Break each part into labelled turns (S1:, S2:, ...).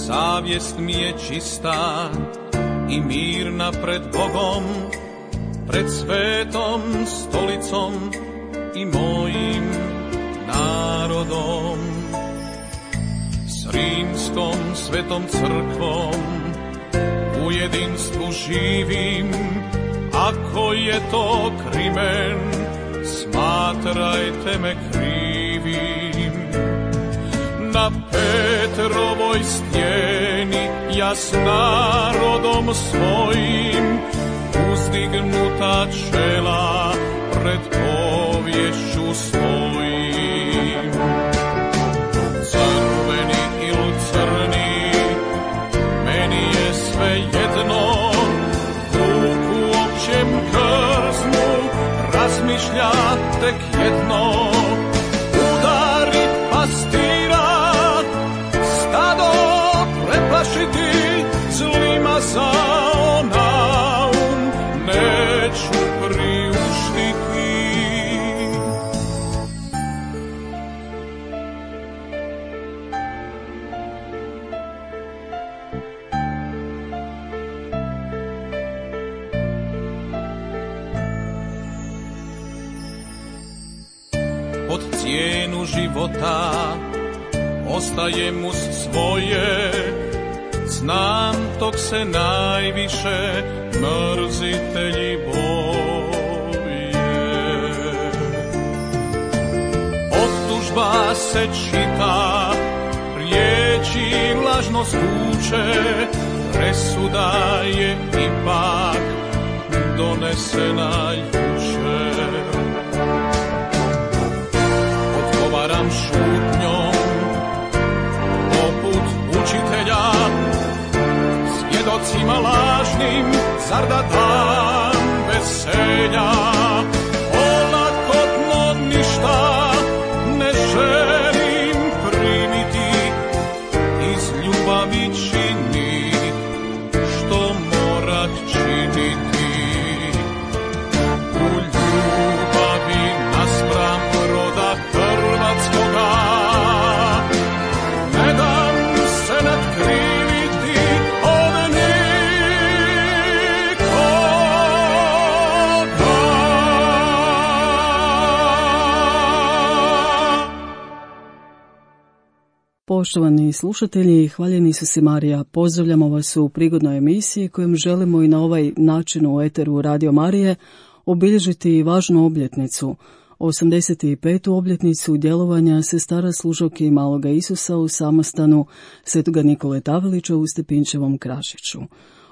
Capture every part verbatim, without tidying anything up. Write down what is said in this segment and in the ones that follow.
S1: savjest mi je čista i mirna pred Bogom, pred svetom stolicom i mojim narodom. S rimskom svetom crkvom u jedinstvu živim, ako je to krimen, smatrajte me krivim. Na Petrovoj stijeni ja s narodom svojim, uzdignuta čela pred povješću svojim. Crveni ili crni, meni je sve jedno, vuk u općem krznu razmišlja tek jedno. Udarit pastira, stado preplašiti, zlima za naum neću priuštiti. Pod cijenu života ostajem uz svoje, znam tog se najviše mrzitelji boje. Optužba se čita, riječi lažno zvuče, presuda je ipak donesena jučer. Odgovaram šutnjom poput učitelja, svjedocima lažnim, zar da dam veselja? Olakotno ništa ne želim primiti, iz ljubavi činit što morat činiti. U ljubavi naspram roda hrvatskoga ne dam se natkriviti od nikoga.
S2: Poštovani slušatelji, hvaljeni Isus i Marija, pozdravljamo vas u prigodnoj emisiji kojom želimo i na ovaj način u eteru Radio Marije obilježiti važnu obljetnicu, osamdeset petu obljetnicu djelovanja sestara služavki Maloga Isusa u samostanu Svetoga Nikole Tavelića u Stepinčevom Krašiću.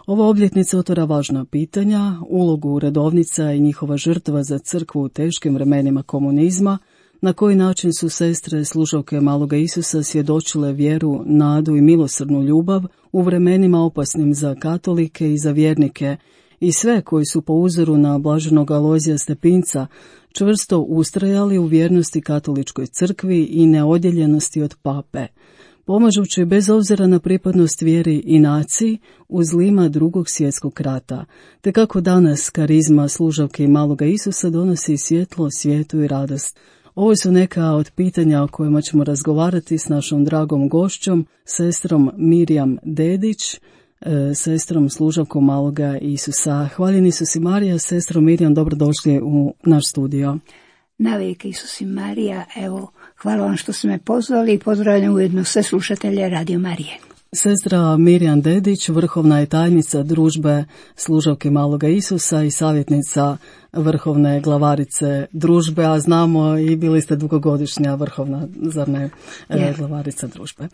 S2: Ova obljetnica otvara važna pitanja, ulogu redovnica i njihova žrtva za crkvu u teškim vremenima komunizma, na koji način su sestre služavke Maloga Isusa svjedočile vjeru, nadu i milosrdnu ljubav u vremenima opasnim za katolike i za vjernike, i sve koji su po uzoru na blaženog Alojzija Stepinca čvrsto ustrajali u vjernosti katoličkoj crkvi i neodjeljenosti od pape, pomažući bez obzira na pripadnost vjeri i naciji u zlima drugog svjetskog rata, te kako danas karizma služavke Maloga Isusa donosi svjetlo, svijetu i radost. Ovo su neka od pitanja o kojima ćemo razgovarati s našom dragom gošćom, sestrom Mirjam Dedić, sestrom služavkom Maloga Isusa. Hvaljeni Isus i Marija, sestro Mirjam, dobrodošli u naš studio.
S3: Navijek Isus i Marija, evo, hvala vam što ste me pozvali i pozdravljam ujedno sve slušatelje Radio Marije.
S2: Sestra Mirjam Dedić, vrhovna je tajnica družbe služavke Maloga Isusa i savjetnica vrhovne glavarice družbe, a znamo i bili ste dugogodišnja vrhovna, zar ne, yeah. glavarica družbe.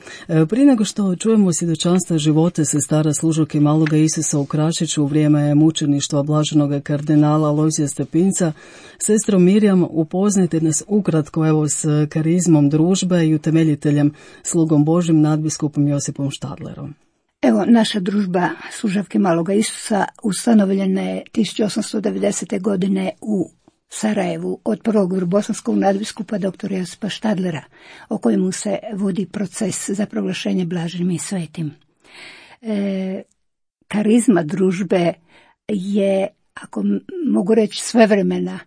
S2: Prije nego što čujemo svjedočanstva života sestara služavke Maloga Isusa u Krašiću u vrijeme mučeništva blaženog kardinala Alojzija Stepinca, sestro Mirjam, upoznajte nas ukratko evo s karizmom družbe i utemeljiteljem slugom Božim nadbiskupom Josipom Štadlerom.
S3: Evo, naša družba služavke Maloga Isusa ustanovljena je tisuću osamsto devedesete. godine u Sarajevu od prvog vrbosanskog nadbiskupa doktora Josipa Štadlera, o kojemu se vodi proces za proglašenje blaženim i svetim. E, karizma družbe je, ako mogu reći, svevremena.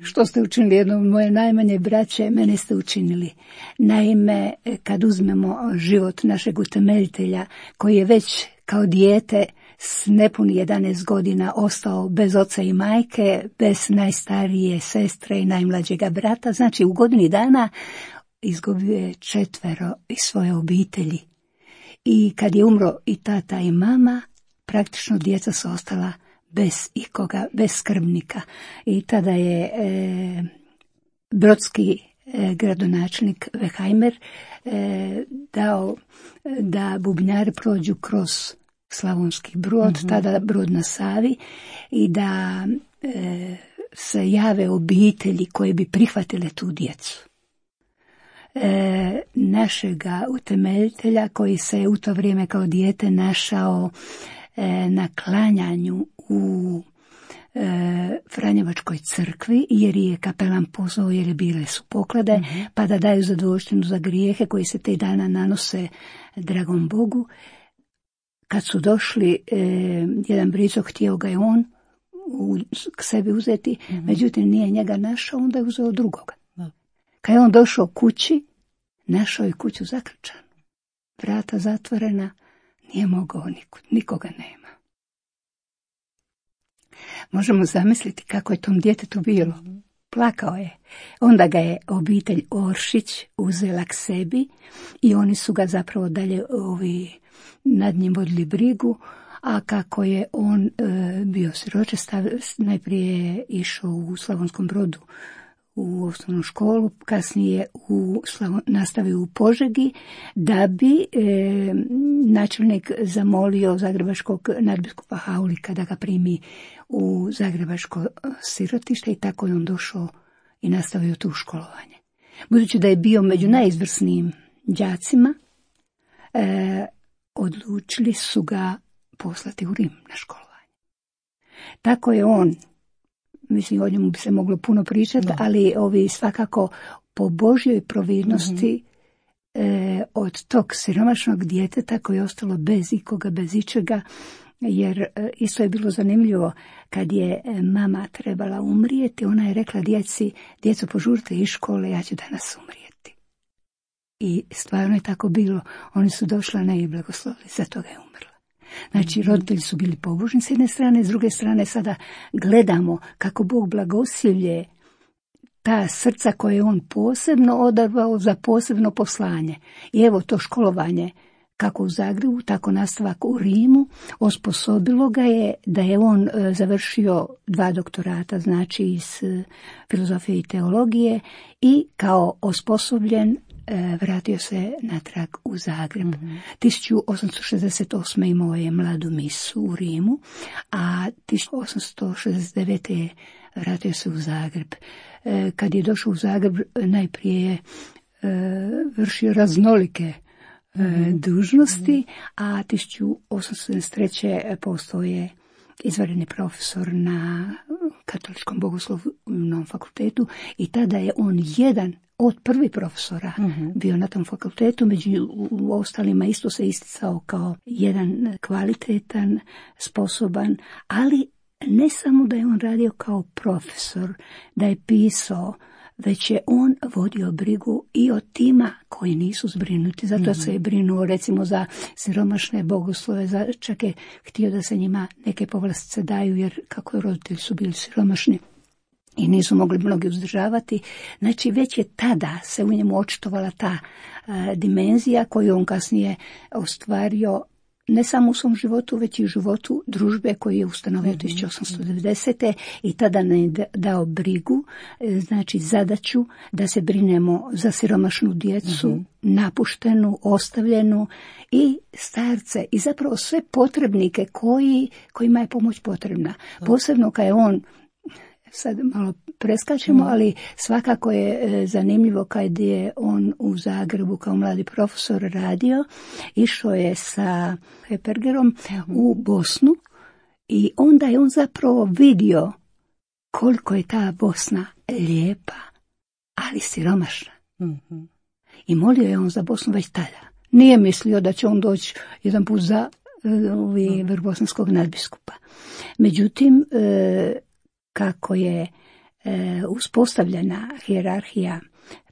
S3: Što ste učinili jednom moje najmanje braće, mene ste učinili. Naime, kad uzmemo život našeg utemeljitelja, koji je već kao dijete s nepuni jedanaest godina ostao bez oca i majke, bez najstarije sestre i najmlađega brata, znači u godini dana izgubio je četvero iz svoje obitelji. I kad je umro i tata i mama, praktično djeca su ostala bez ikoga, bez skrbnika. I tada je e, brodski e, gradonačelnik Vehajmer e, dao da bubnjari prođu kroz Slavonski Brod, mm-hmm. tada Brod na Savi, i da e, se jave obitelji koje bi prihvatile tu djecu. E, našega utemeljitelja, koji se u to vrijeme kao dijete našao e, na klanjanju u e, Franjevačkoj crkvi, jer je kapelan pozvao, jer je bile su poklade, mm-hmm. pa da daju zadovoljštinu za grijehe koji se te dana nanose dragom Bogu. Kad su došli, e, jedan brico, htio ga je on u, k sebi uzeti, mm-hmm. međutim nije njega našao, onda je uzeo drugoga. Da. Kad je on došao kući, našao je kuću zaključanu, vrata zatvorena, nije mogao nikud, nikoga nema. Možemo zamisliti kako je tom djetetu bilo. Plakao je. Onda ga je obitelj Oršić uzela k sebi i oni su ga zapravo dalje ovi nad njim vodili brigu, a kako je on e, bio siročest, najprije je išao u Slavonskom Brodu u osnovnu školu, kasnije u Slavo, nastavio u Požegi, da bi e, načelnik zamolio zagrebačkog nadbiskupa Haulika da ga primi u zagrebačko sirotište, i tako je on došao i nastavio tu školovanje. Budući da je bio među najizvrsnijim đacima, e, odlučili su ga poslati u Rim na školovanje. Tako je on, mislim, o njemu bi se moglo puno pričati, da. ali ovi svakako po Božjoj providnosti mm-hmm. e, od tog siromašnog djeteta koje je ostalo bez ikoga, bez ičega, jer e, isto je bilo zanimljivo, kad je e, mama trebala umrijeti, ona je rekla djeci, djeco požurite iz škole, ja ću danas umrijeti. I stvarno je tako bilo. Oni su došla, ne, i blagoslovili, za toga je umrla. Znači, roditelji su bili pobožni s jedne strane, s druge strane sada gledamo kako Bog blagosilje ta srca koje je on posebno odabrao za posebno poslanje. I evo to školovanje, kako u Zagrebu, tako nastavak u Rimu, osposobilo ga je da je on e, završio dva doktorata, znači iz e, filozofije i teologije, i kao osposobljen e, vratio se natrag u Zagreb. Mm-hmm. tisuću osamsto šezdeset osme imao je mladu misu u Rimu, a tisuću osamsto šezdeset devete je vratio se u Zagreb. E, kad je došao u Zagreb, najprije je e, vršio raznolike Mm-hmm. dužnosti, a tisuću osamsto sedamdeset treće postao je izvanredni profesor na Katoličkom bogoslovnom fakultetu, i tada je on jedan od prvih profesora mm-hmm. bio na tom fakultetu, među ostalima isto se isticao kao jedan kvalitetan, sposoban, ali ne samo da je on radio kao profesor, da je pisao, već je on vodio brigu i o tima koji nisu zbrinuti. Zato mm-hmm. se je brinuo recimo za siromašne bogoslove, za, čak je htio da se njima neke povlastice daju, jer kako roditelji su bili siromašni i nisu mogli mnogi uzdržavati. Znači već je tada se u njemu očitovala ta a, dimenzija koju on kasnije ostvario ne samo u svom životu, već i u životu družbe koju je ustanovio mm-hmm. tisuću osamsto devedesete i tada ne dao brigu, znači zadaću da se brinemo za siromašnu djecu, mm-hmm. napuštenu, ostavljenu i starce i zapravo sve potrebnike koji, kojima je pomoć potrebna. Mm-hmm. Posebno kad je on, sad malo preskačemo, ali svakako je zanimljivo kad je on u Zagrebu kao mladi profesor radio, išao je sa Hepergerom mm-hmm. u Bosnu i onda je on zapravo vidio koliko je ta Bosna lijepa, ali siromašna. Mm-hmm. I molio je on za Bosnu već tada. Nije mislio da će on doći jedan put za vrh bosanskog nadbiskupa. Međutim, e, kako je e, uspostavljena hijerarhija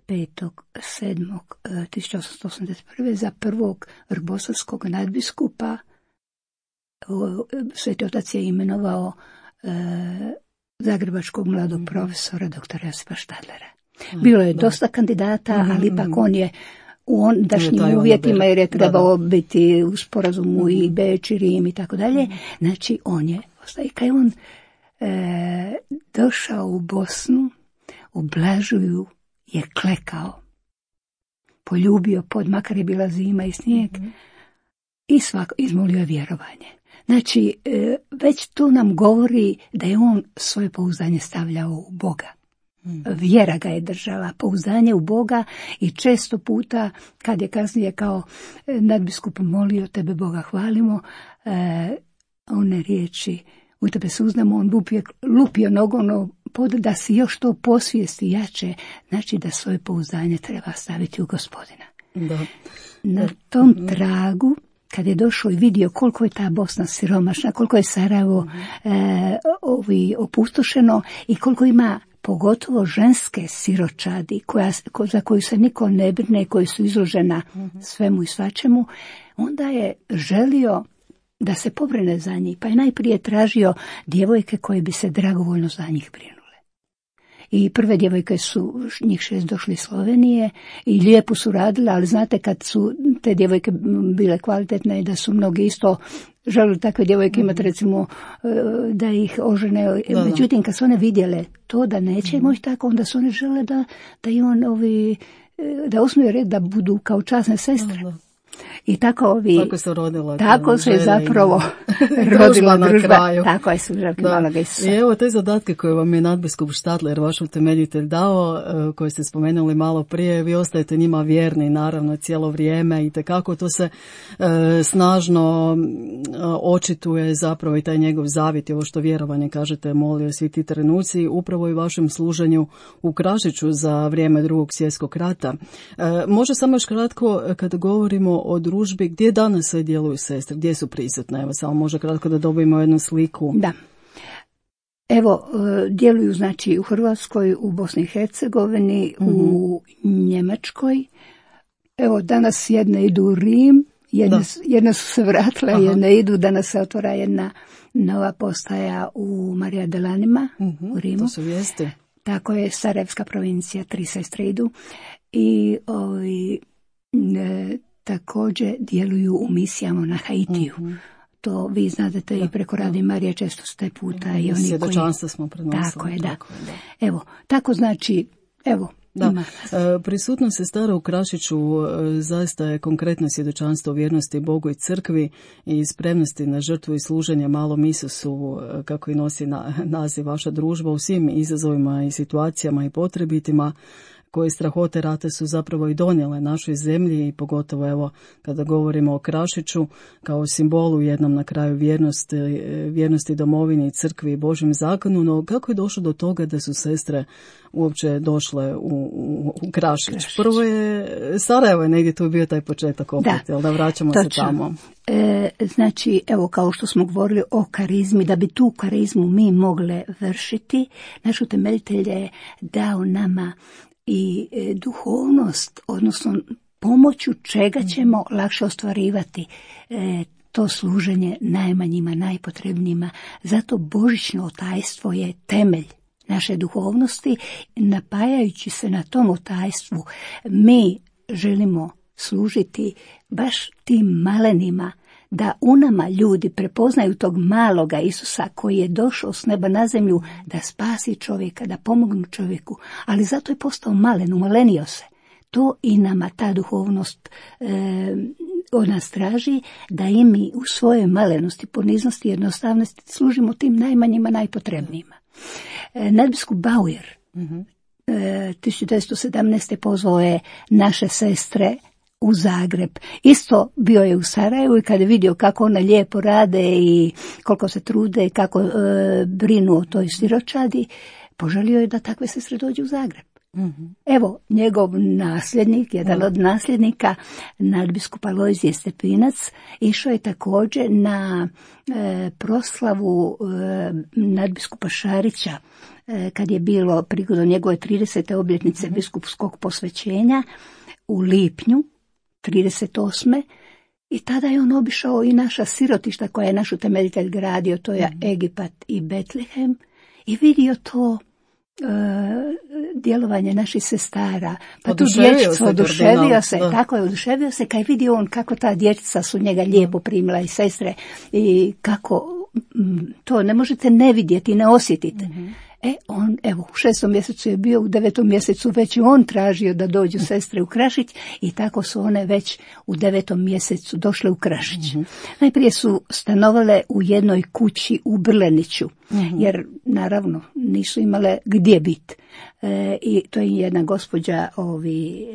S3: petog sedmog tisuća osamsto osamdeset prve za prvog vrbosavskog nadbiskupa Sveti Otac je imenovao e, zagrebačkog mladog profesora doktora Josipa Štadlera. Bilo je dosta kandidata, ali ipak on je u ondašnjim uvjetima, jer je trebao da, da. biti u sporazumu mm-hmm. i Beč i Rim i tako dalje. Znači on je, i kad je on e, došao u Bosnu, u Blažuju je klekao, poljubio pod, makar je bila zima i snijeg, mm-hmm. i svako izmolio je vjerovanje. Znači, e, već tu nam govori da je on svoje pouzdanje stavljao u Boga. Vjera ga je držala, pouzdanje u Boga, i često puta kad je kasnije kao nadbiskup molio tebe Boga hvalimo, e, one riječi u tebe suznamo, on lupio, lupio nogom pod da si još to posvijesti jače, znači da svoje pouzdanje treba staviti u Gospodina. Da. Na tom tragu, kad je došao i vidio koliko je ta Bosna siromašna, koliko je Sarajevo e, ovi opustošeno i koliko ima pogotovo ženske siročadi koja, ko, za koju se niko ne brine, koji su izložena svemu i svačemu, onda je želio da se pobrine za njih, pa je najprije tražio djevojke koje bi se dragovoljno za njih brinule. I prve djevojke su, njih šest, došli iz Slovenije i lijepo su radile, ali znate kad su te djevojke bile kvalitetne i da su mnogi isto želili takve djevojke imati, recimo da ih ožene. Da, međutim, kad su one vidjele to da neće mm. moći tako, onda su one žele da, da im on ovi, da osnuju red, da budu kao časne sestre. Da, da. I tako ovi,
S2: tako se rodila.
S3: Tako se zapravo rodila družba. Tako je Sužavke Maloga Isusa.
S2: I evo te zadatke koje vam je nadbiskup Štadler, vaš utemeljitelj, dao, koje ste spomenuli malo prije, vi ostajete njima vjerni, naravno, cijelo vrijeme, i tekako to se e, snažno e, očituje zapravo i taj njegov zavjet, ovo što vjerovanje, kažete, molio svi ti trenuci, upravo i vašem služenju u Krašiću za vrijeme Drugog svjetskog rata. E, može samo još kratko, kada govorimo o družbi, gdje danas sve djeluju sestre, gdje su prisutne? Evo, samo može kratko da dobijemo jednu sliku.
S3: Da. Evo, djeluju znači u Hrvatskoj, u Bosni i Hercegovini, mm-hmm. u Njemačkoj. Evo, danas jedne idu u Rim, jedne, jedne su se vratile, Aha. jedne idu, danas se otvara jedna nova postaja u Marija Delanima, mm-hmm. u Rimu.
S2: To su vijesti.
S3: Tako je, Sarajevska provincija, tri sestre idu. I ovi, ne, također djeluju u misijama na Haitiju. Mm-hmm. To vi znate i preko Radi Marije često ste puta. Mm-hmm. I oni
S2: svjedočanstva koji smo prenosili.
S3: Tako je, da. Tako, je, da. Evo, tako znači, evo,
S2: Da, e, prisutnost sestara u Krašiću e, zaista je konkretno svjedočanstvo vjernosti Bogu i crkvi i spremnosti na žrtvu i služenje malom Isusu, e, kako i nosi na, naziv vaša družba, u svim izazovima i situacijama i potrebitima koje strahote rata su zapravo i donijele našoj zemlji, i pogotovo evo kada govorimo o Krašiću kao simbolu jednom na kraju vjernosti, vjernosti domovini i crkvi i Božjem zakonu. No kako je došlo do toga da su sestre uopće došle u, u, u Krašić? Krašić. Prvo je Sarajevo je negdje tu bio taj početak opet, da, jel da vraćamo točno. se tamo.
S3: E, znači, evo kao što smo govorili o karizmi, da bi tu karizmu mi mogle vršiti, naš utemeljitelj je dao nama i e, duhovnost, odnosno pomoću čega ćemo lakše ostvarivati e, to služenje najmanjima, najpotrebnijima. Zato božićno otajstvo je temelj naše duhovnosti. Napajajući se na tom otajstvu, mi želimo služiti baš tim malenima, da u nama ljudi prepoznaju tog maloga Isusa koji je došao s neba na zemlju da spasi čovjeka, da pomognu čovjeku, ali zato je postao malen, umalenio se. To i nama ta duhovnost e, od nas traži, da i mi u svojoj malenosti, poniznosti i jednostavnosti služimo tim najmanjima, najpotrebnijima. E, nadbiskup Bauer mm-hmm. e, tisuću devetsto sedamnaeste. pozvao je naše sestre u Zagreb. Isto bio je u Sarajevu i kada je vidio kako one lijepo rade i koliko se trude i kako e, brinu o toj siročadi, poželio je da takve sestre dođu u Zagreb. Mm-hmm. Evo, njegov nasljednik, jedan mm. od nasljednika, nadbiskup Alojzije Stepinac, išao je također na e, proslavu e, nadbiskupa Šarića kad je bilo prigodom njegove tridesete obljetnice mm-hmm. biskupskog posvećenja u lipnju trideset osme I tada je on obišao i naša sirotišta koja je naš utemeljitelj gradio, to je mm-hmm. Egipat i Betlehem, i vidio to Uh, djelovanje naših sestara, pa tu dječicu oduševio se, da. tako je oduševio se kad vidio on kako ta dječica su njega lijepo primila i sestre i kako m, to ne možete ne vidjeti, ne osjetiti. Mm-hmm. E, on, evo, u šestom mjesecu je bio, u devetom mjesecu već i on tražio da dođu sestre u Krašić i tako su one već u devetom mjesecu došle u Krašić. Mm-hmm. Najprije su stanovale u jednoj kući u Brleniću, mm-hmm. jer naravno nisu imale gdje biti. E, I to je jedna gospođa ovi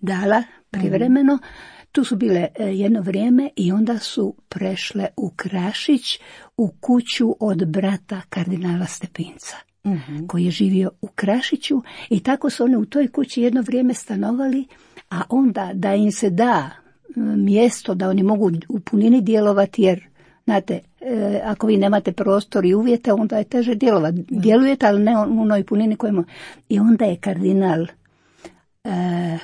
S3: dala privremeno. Mm-hmm. Tu su bile jedno vrijeme i onda su prešle u Krašić u kuću od brata kardinala Stepinca. Mm-hmm. koji je živio u Krašiću i tako su one u toj kući jedno vrijeme stanovali, a onda da im se da mjesto da oni mogu u punini djelovati, jer znate, e, ako vi nemate prostor i uvjete, onda je teže djelovati. Mm-hmm. Djelujete, ali ne u onoj punini kojemu. I onda je kardinal e,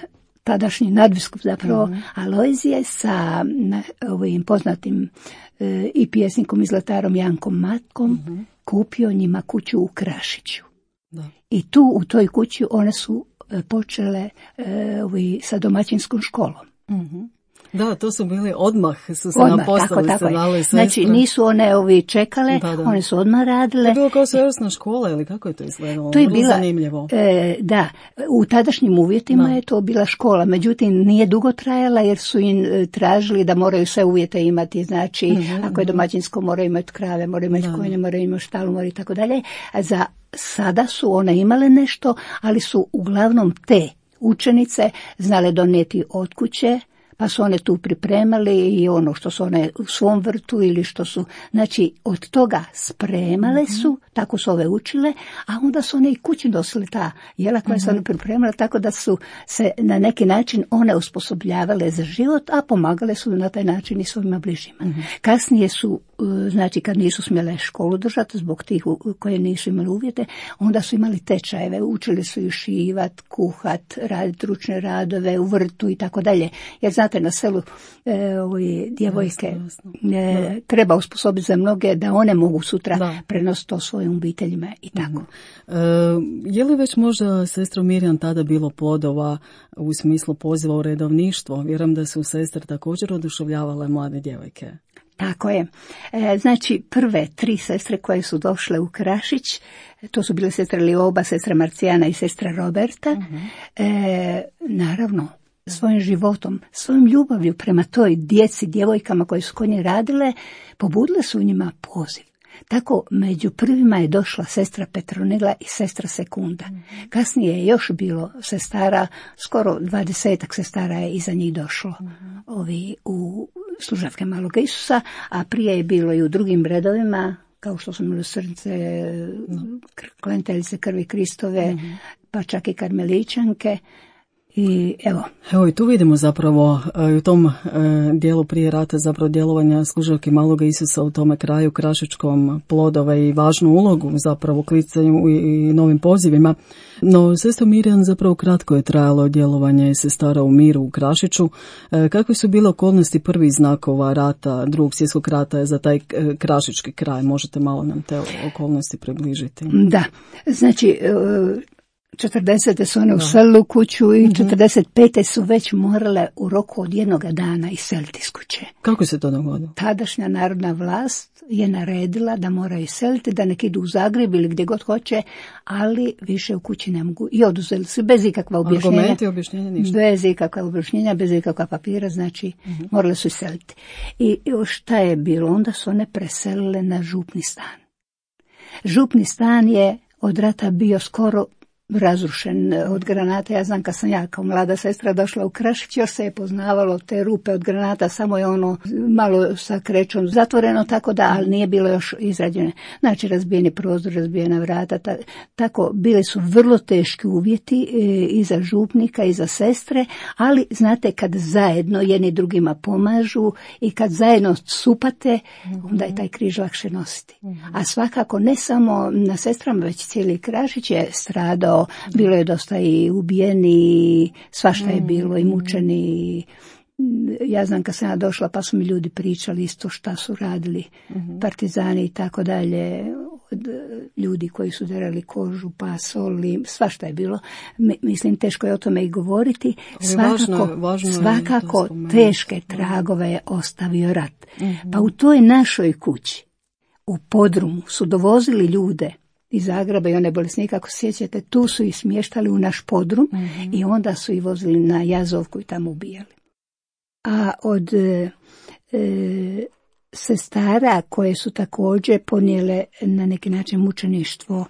S3: tadašnji nadbiskup zapravo mm-hmm. Alojzije sa na, ovim poznatim e, i pjesnikom i zlatarom Jankom Matkom mm-hmm. kupio njima kuću u Krašiću. Da. I tu u toj kući one su e, počele e, ovi, sa domaćinskom školom.
S2: Mm-hmm. Da, to su bili odmah, su se
S3: odmah,
S2: napostali,
S3: tako,
S2: se dali
S3: sestre. Znači nisu one ovi čekale, da, da. One su odmah radile.
S2: To je bilo kao svojevrsna škola ili kako je to izgledalo?
S3: To je bila,
S2: zanimljivo.
S3: E, da, u tadašnjim uvjetima da. je to bila škola, međutim nije dugo trajala jer su im tražili da moraju sve uvjete imati, znači mm-hmm. ako je domaćinsko moraju imati krave, moraju imati konje, moraju imati štalu, moraju i tako dalje. A za sada su one imale nešto, ali su uglavnom te učenice znale donijeti od kuće, pa su one tu pripremali i ono što su one u svom vrtu ili što su, znači od toga spremale su, mm-hmm. tako su ove učile, a onda su one i kući nosile ta jela koja mm-hmm. su one pripremale, tako da su se na neki način one osposobljavale za život, a pomagale su na taj način i svojima bližima. Mm-hmm. Kasnije su, znači kad nisu smjele školu držati zbog tih koje nisu imali uvjete, onda su imali tečajeve, učili su ju šivat, kuhat, raditi ručne radove u vrtu i tako dalje, jer znate, na selu e, ove djevojke jasno, jasno. E, treba usposobiti za mnoge da one mogu sutra da. prenositi to svojim obiteljima i tako.
S2: E, je li već možda sestro Mirjam tada bilo plodova u smislu poziva u redovništvo? Vjerujem da su sestre također oduševljavale mlade djevojke.
S3: Tako je. E, znači prve tri sestre koje su došle u Krašić, to su bile sestra Lioba, sestra Marcijana i sestra Roberta. Uh-huh. E, naravno, svojim životom, svojom ljubavlju prema toj djeci, djevojkama koje su kod nje radile, pobudile su u njima poziv. Tako među prvima je došla sestra Petronila i sestra Sekunda. Mm-hmm. Kasnije je još bilo sestara, skoro dvadesetak sestara je iza njih došlo mm-hmm. ovi u služavke Maloga Isusa, a prije je bilo i u drugim redovima, kao što su milosrdnice, mm-hmm. klenteljice krvi Kristove, mm-hmm. pa čak i karmeličanke. I evo.
S2: Evo i tu vidimo zapravo u tom e, dijelu prije rata zapravo djelovanja služavke Maloga Isusa u tome kraju krašičkom plodove i važnu ulogu zapravo u klicanju i, i novim pozivima. No, sestro Mirjam, zapravo kratko je trajalo djelovanje sestara u miru u Krašiću. E, kakve su bile okolnosti prvih znakova rata, drugog svjetskog rata za taj e, krašički kraj? Možete malo nam te okolnosti približiti?
S3: Da, znači e, četrdesete su one uselile u kuću i četrdeset pete su već morale u roku od jednog dana iseliti iz kuće.
S2: Kako se to dogodilo?
S3: Tadašnja narodna vlast je naredila da moraju iseliti, da nek idu u Zagreb ili gdje god hoće, ali više u kući ne mogu. I oduzeli su bez ikakva objašnjenja.
S2: Argumenti, objašnjenja, ništa.
S3: Bez ikakva objašnjenja, bez ikakva papira, znači uh-huh. morale su iseliti. I šta je bilo? Onda su one preselile na župni stan. Župni stan je od rata bio skoro razrušen od granata. Ja znam kad sam ja kao mlada sestra došla u Krašić, još se je poznavalo te rupe od granata, samo je ono malo sa krećom zatvoreno, tako da, ali nije bilo još izrađene. Znači, razbijeni prozor, razbijena vrata, ta, tako, bili su vrlo teški uvjeti e, i za župnika i za sestre, ali znate, kad zajedno jedni drugima pomažu i kad zajedno supate, onda je taj križ lakše nositi. A svakako ne samo na sestrama, već cijeli Krašić je stradao. Bilo je dosta i ubijeni, svašta je bilo i mučeni. Ja znam kad sam ja došla pa su mi ljudi pričali isto šta su radili partizani i tako dalje. Od ljudi koji su derali kožu, pa soli, svašta je bilo. Mislim, teško je o tome i govoriti. Svakako, važno, važno svakako teške tragove je ostavio rat. Mm-hmm. Pa u toj našoj kući, u podrumu, su dovozili ljude iz Zagreba i one bolesnike, ako se sjećate, tu su ih smještali u naš podrum mm-hmm. i onda su ih vozili na Jazovku i tamo ubijali. A od e, e, sestara koje su također ponijele na neki način mučeništvo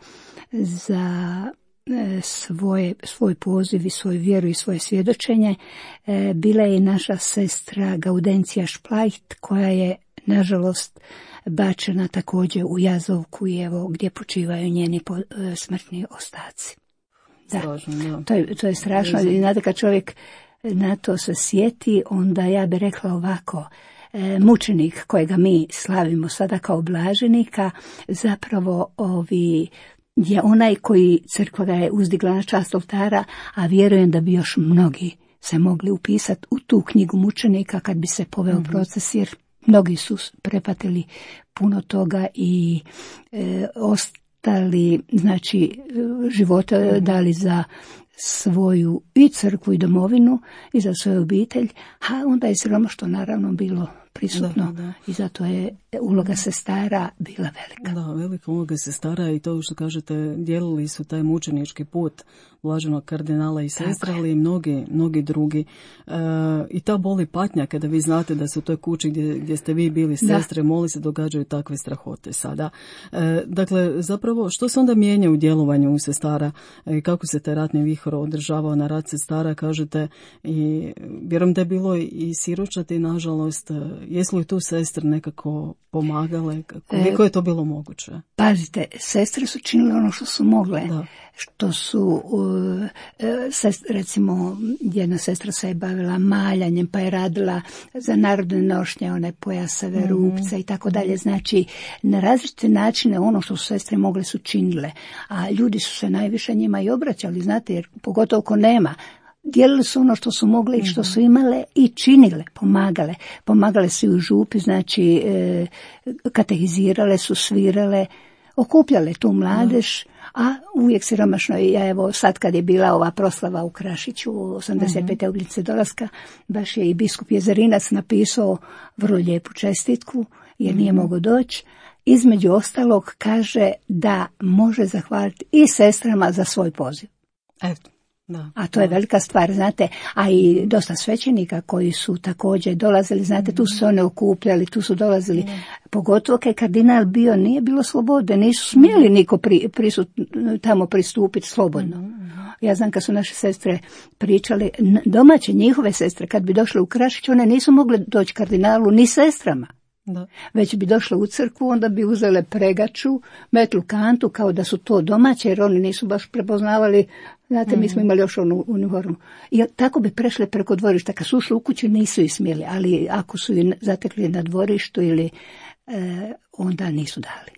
S3: za e, svoje, svoj poziv i svoju vjeru i svoje svjedočenje, e, bila je i naša sestra Gaudencija Šplajt, koja je nažalost bačena također u Jazovku i evo gdje počivaju njeni po, e, smrtni ostaci. Da, strašno, da. To, je, to je strašno. I znate, kad čovjek na to se sjeti, onda ja bih rekla ovako, e, mučenik kojega mi slavimo sada kao blaženika, zapravo ovi je onaj koji crkva ga je uzdigla na čast oltara, a vjerujem da bi još mnogi se mogli upisati u tu knjigu mučenika kad bi se poveo mm-hmm. proces, jer mnogi su prepatili puno toga i e, ostali, znači, života mm-hmm. dali za svoju i crkvu i domovinu i za svoju obitelj, a onda je siromaštvo naravno bilo prisutno da, da. I zato je uloga sestara bila velika.
S2: Da, velika uloga sestara i to što kažete, dijelili su taj mučenički put blaženog kardinala i sestra, ali i mnogi, mnogi drugi. E, I ta boli patnja kada vi znate da su u toj kući gdje, gdje ste vi bili sestre, da. Moli se događaju takve strahote sada. E, dakle, zapravo, što se onda mijenja u djelovanju u sestara i e, kako se taj ratni vihor održavao na rad sestara, kažete, i vjerujem da je bilo i siročati, nažalost, jesu li tu sestre nekako pomagale? Koliko je to bilo moguće?
S3: Pazite, sestre su činile ono što su mogle. Da. Što su, uh, sest, recimo, jedna sestra se je bavila maljanjem, pa je radila za narodne nošnje, one pojasave, mm-hmm. rupce i tako dalje. Znači, na različite načine ono što su sestre mogle su činile. A ljudi su se najviše njima i obraćali, znate, jer pogotovo ko nema, dijelili su ono što su mogle i što su imale i činile, pomagale. Pomagale su i u župi, znači e, katehizirale su, svirale, okupljale tu mladež, a uvijek siromašno. Ja evo sad kad je bila ova proslava u Krašiću, osamdeset pete obljetnice dolaska, baš je i biskup Jezerinac napisao vrlo lijepu čestitku, jer nije mm-hmm. mogao doći. Između ostalog kaže da može zahvaliti i sestrama za svoj poziv.
S2: Eto. Da,
S3: a to da. je velika stvar, znate, a i dosta svećenika koji su također dolazili, znate, tu su se one okupljali, tu su dolazili, mm. pogotovo kad je kardinal bio, nije bilo slobode, nisu smjeli niko pri, prisut, tamo pristupiti slobodno. Mm. Ja znam kad su naše sestre pričale, domaće njihove sestre, kad bi došle u Krašić, one nisu mogle doći kardinalu ni sestrama. Da. Već bi došle u crkvu, onda bi uzele pregaču, metlu kantu, kao da su to domaće, jer oni nisu baš prepoznavali, znate, mm. mi smo imali još onu uniformu. I tako bi prešle preko dvorišta. Kad su ušli u kuću, nisu ih smjeli, ali ako su ih zatekli na dvorištu ili e, onda nisu dali.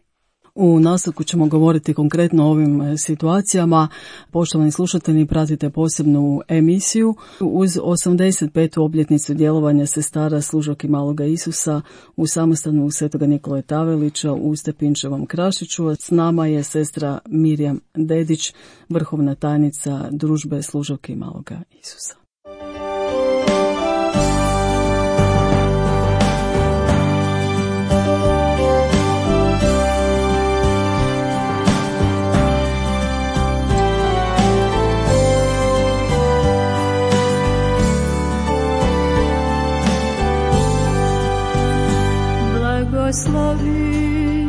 S2: U nastavku ćemo govoriti konkretno o ovim situacijama. Poštovani slušatelji, pratite posebnu emisiju uz osamdeset petu obljetnicu djelovanja sestara Služavki Maloga Isusa u samostanu Svetoga Nikole Tavelića u Stepinčevom Krašiću. S nama je sestra Mirjam Dedić, vrhovna tajnica Družbe Služavki Maloga Isusa.
S4: Blagoslovi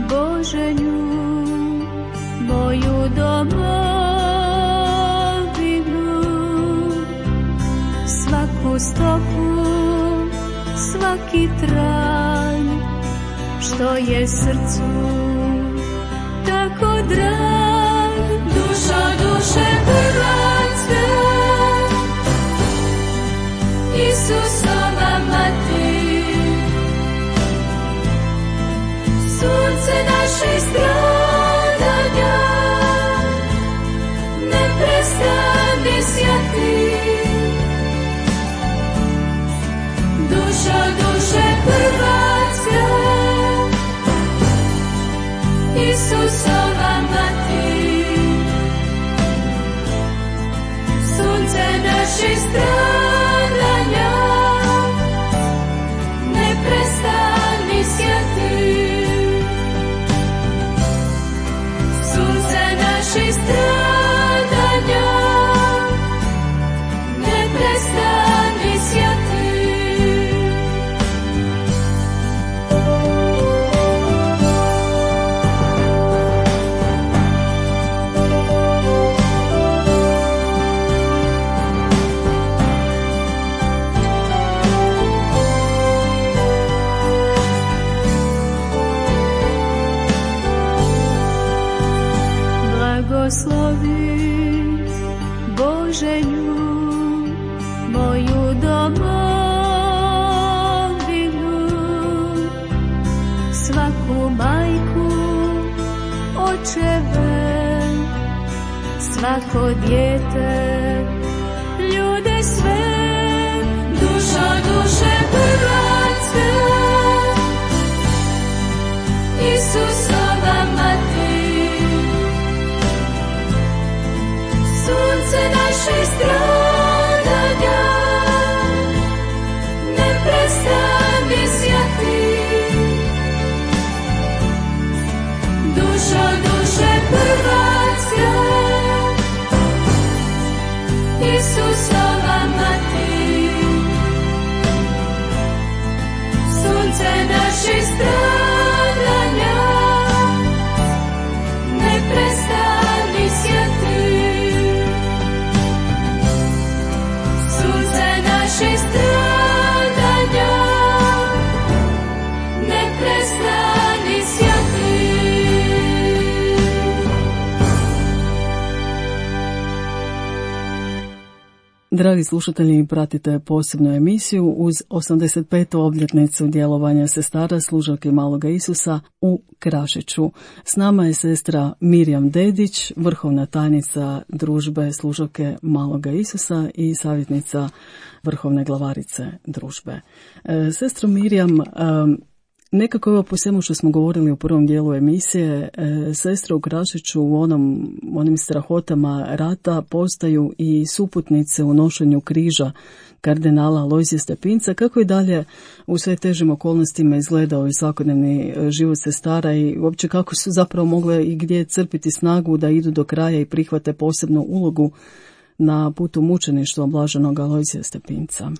S4: Bože nju, moju domovinu, stopu svaki trag, što je srcu tako drag. Dušo duše Hrvatska, Isusova mati, sunce naše stradanja, ne prestani sjati. Dušo duše Hrvatska, Isusova mati, sunce naše stradanja, ne prestani sjati. Sunce naše stradanja, ne prestani sjati. Blagoslovi Bože nju, moju domovinu, svaku majku, očeve, svako dijete, ljude sve. Dušo duše Hrvatska, Isusova mati, sunce naše stradanja, ne prestani sjati. Dušo duše Hrvatska, Isusova mati, sunce naše stradanja, ne prestani sjati. Naše stradanja, ne prestani sjati.
S2: Dragi slušatelji, pratite posebnu emisiju uz osamdeset petu obljetnicu djelovanja sestara služavke Maloga Isusa u Krašiću. S nama je sestra Mirjam Dedić, vrhovna tajnica družbe služavke Maloga Isusa i savjetnica vrhovne glavarice družbe. E, sestro Mirjam, e, nekako evo po svemu što smo govorili u prvom dijelu emisije, e, sestre u Krašiću u onom, onim strahotama rata postaju i suputnice u nošenju križa kardinala Alojzija Stepinca. Kako i dalje u sve težim okolnostima izgledao i svakodnevni život sestara i uopće kako su zapravo mogle i gdje crpiti snagu da idu do kraja i prihvate posebnu ulogu na putu mučeništva blaženog Alojzija Stepinca?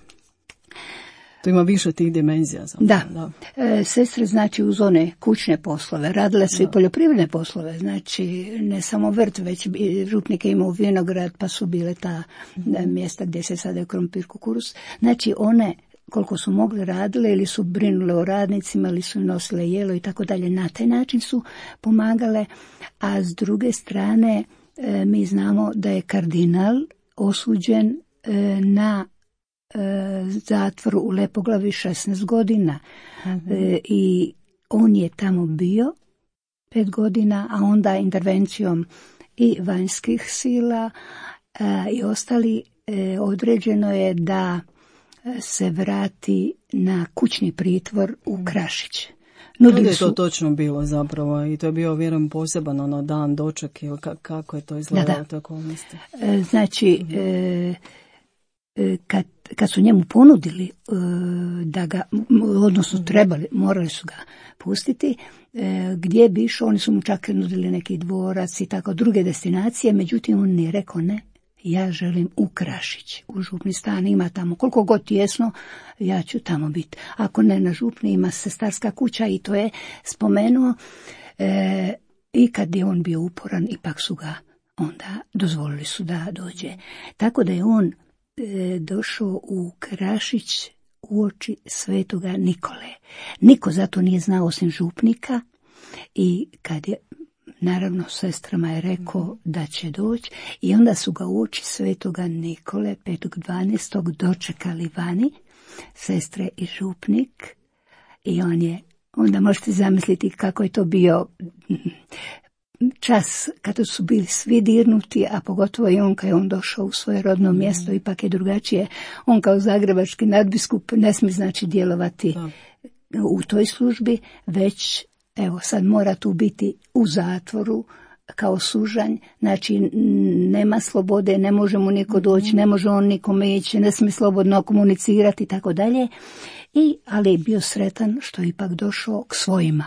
S2: To ima više tih dimenzija. Zapravo.
S3: Da.
S2: da.
S3: E, sestre znači uz one kućne poslove, radile su da. i poljoprivredne poslove, znači ne samo vrt, već župnik je imao vinograd, pa su bile ta mm-hmm. mjesta gdje se sade krompir, kukuruz. Znači one koliko su mogli radile ili su brinule o radnicima ili su nosile jelo i tako dalje. Na taj način su pomagale, a s druge strane e, mi znamo da je kardinal osuđen e, na zatvor u Lepoglavi šesnaest godina. Mm-hmm. E, i on je tamo bio pet godina, a onda intervencijom i vanjskih sila e, i ostali e, određeno je da se vrati na kućni pritvor u Krašić.
S2: Nudili Kada je to su... točno bilo zapravo i to je bio vjerujem poseban ono dan doček ili kako je to izgledalo te okolnosti?
S3: E, znači mm-hmm. e, Kad, kad su njemu ponudili uh, da ga, odnosno trebali, morali su ga pustiti, uh, gdje bi išao, oni su mu čak nudili neki dvorac i tako druge destinacije, međutim on nije rekao ne, ja želim u Krašić, u župni stan, ima tamo koliko god tjesno, ja ću tamo biti. Ako ne na župni, ima sestarska kuća i to je spomenuo. Uh, I kad je on bio uporan, ipak su ga onda dozvolili su da dođe. Tako da je on e, došao u Krašić uoči svetoga Nikole. Niko zato nije znao osim župnika i kad je, naravno, sestrama je rekao da će doći i onda su ga uoči svetoga Nikole petog dvanaestog dočekali vani, sestre i župnik, i on je, onda možete zamisliti kako je to bio čas kada su bili svi dirnuti, a pogotovo i on kad je on došao u svoje rodno mjesto, ipak je drugačije. On kao zagrebački nadbiskup ne smije znači djelovati da. u toj službi, već evo sad mora tu biti u zatvoru kao sužanj, znači nema slobode, ne može mu niko doći, ne može on nikome ići, ne smije slobodno komunicirati i tako dalje. I, ali je bio sretan što je ipak došao k svojima.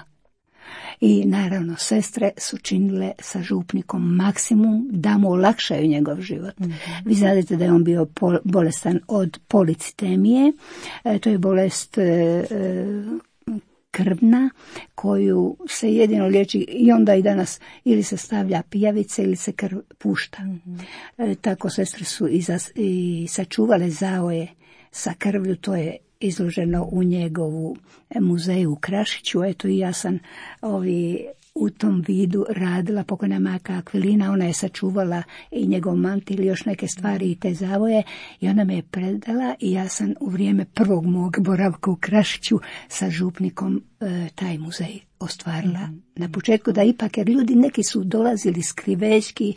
S3: I naravno sestre su činile sa župnikom maksimum da mu olakšaju njegov život. Mm-hmm. Vi znate da je on bio pol, bolestan od policitemije, e, to je bolest e, e, krvna koju se jedino liječi i onda i danas ili se stavlja pijavice ili se krv pušta. Mm-hmm. E, tako sestre su i, za, i sačuvale zaoje sa krvlju, to je izloženo u njegovu muzeju u Krašiću. Eto i ja sam ovi, u tom vidu radila, pokojna majka Akvilina, ona je sačuvala i njegov mantil i još neke stvari i te zavoje i ona me je predala i ja sam u vrijeme prvog mog boravka u Krašiću sa župnikom e, taj muzej ostvarila. Mm-hmm. Na početku da ipak, jer ljudi neki su dolazili skrivećki